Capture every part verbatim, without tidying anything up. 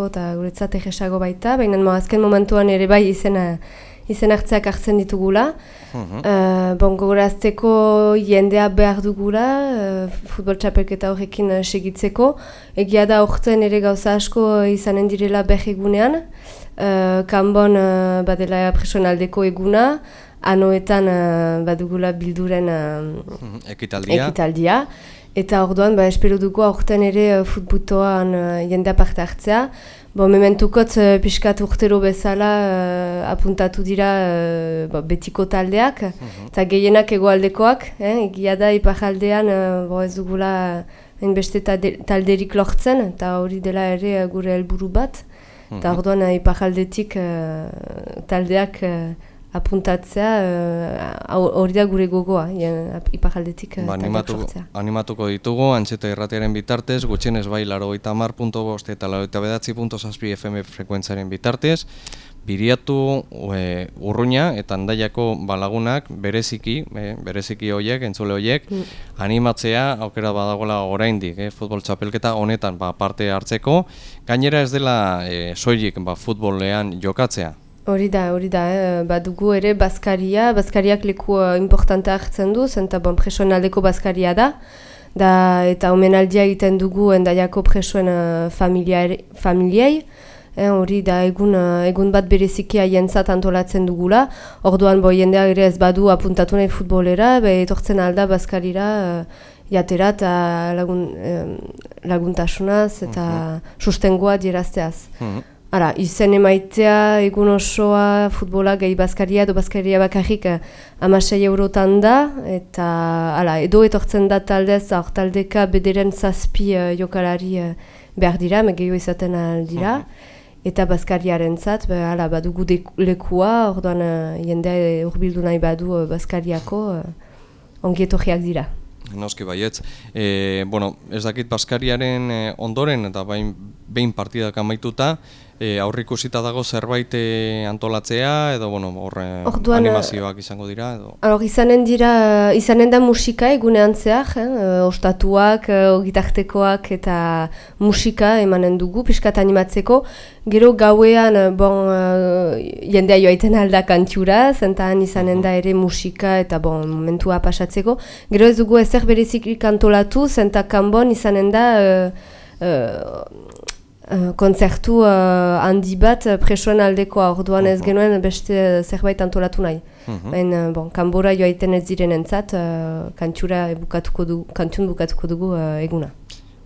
eta guretzat egesago baita, baina azken momentuan ere bai izena izen hartzeak hartzen ditugula. Uh-huh. uh, bon, gogorazteko jendea behar dugula, uh, futbol txapelketa horrekin uh, segitzeko. Egia da horretzen ere gauza asko izanen direla berregunean. Uh, kanbon uh, badela presionaldeko eguna, anoetan uh, badugula bilduren uh, uh-huh. ekitaldia. ekitaldia. Eta orduan, ba, espero dugu aurten ere uh, futbutoan uh, jendea parte hartzea. Bo, mementukotz uh, pixkat urtero bezala uh, apuntatu dira uh, bo, betiko taldeak, eta uh-huh. gehienak egoaldekoak, eh? Egia da iparaldean uh, bo, ez dugula hainbeste talderik lortzen, eta hori dela ere uh, gure helburu bat. Eta uh-huh. orduan uh, iparaldetik uh, taldeak uh, apuntatzea hori uh, da gure gogoa, iparaldetik uh, ba, taldeak animatu, sortzea. Animatuko ditugu, Antxeta irratiaren bitartez, gutxienez bai laurogeita hamar puntu bost eta laurogeita bederatzi puntu zazpi F M frekuentziaren bitartez, Biriatu, e, Urruña eta Andaiako balagunak bereziki, e, bereziki horiek, entzule horiek, mm. animatzea aukera badagoela oraindik, e, futbol txapelketa honetan ba, parte hartzeko, gainera ez dela e, soilik ba, futbolean jokatzea. Hori da, hori da, eh? Badugu ere Baskaria, Baskariak leku uh, importante hartzen du, zenta bon, presoen aldeko Baskaria da, da eta omenaldia egiten dugu Endaiako presoen uh, familiei, hori eh, da egun, uh, egun bat bereziki haientzat antolatzen dugula, orduan bo jendea ere ez badu apuntatu nahi futbolera, be etortzen alda Baskarira uh, jatera eta lagun, eh, laguntasunaz eta uh-huh. sustengoa dierazteaz. Uh-huh. Ara, izen emaitea egun osoa futbola gehi Baskaria edo Baskaria bakarrik hamasei eurotan da, eta ala, edo etortzen da taldez, hor taldeka bederen zazpi uh, jokalari uh, behar dira, megeo izaten aldira, uh-huh. eta Baskariaren zat, be, ala, badugu lekua, orduan uh, jendea urbildu nahi badu uh, Baskariako uh, ongi etorriak dira. Noski baietz. E, bueno, ez dakit Baskariaren e, ondoren eta bain, behin partidak amaituta, e, aurrikusita dago zerbait e, antolatzea edo bueno, horre animazioak izango dira edo. Hor izanen dira, izanen da musika egunean zehar, eh? Ostatuak, gitartekoak eta musika emanen dugu pixkat animatzeko. Gero gauean bon jendea joaiten alda kantura, zentan izanen da ere musika eta bon momentua pasatzeko. Gero ez dugu ezer berezik antolatu, zenta kanbon izanen da uh, uh, uh, kontzertu uh, handi bat presoen aldekoa, orduan ez genuen beste zerbait antolatu nahi. Uh-huh. Baina, bon, kanbora joaiten ez direnentzat uh, kantura bukatuko dugu, kantun bukatuko dugu uh, eguna.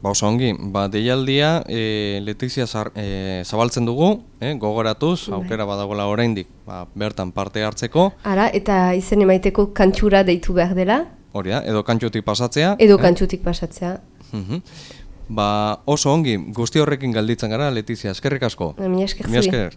Ba, oso ongi, ba, deialdia e, Letizia zar, e, zabaltzen dugu, e, gogoratuz, bai. Aukera badagoela oraindik ba, bertan parte hartzeko. Ara, eta izen emaiteko kantura deitu behar dela. Hori da, edo kantxutik pasatzea. Edo eh? kantxutik pasatzea. Uh-huh. Ba, oso ongi, guzti horrekin galditzen gara, Letizia, eskerrik asko. Mi esker zuri.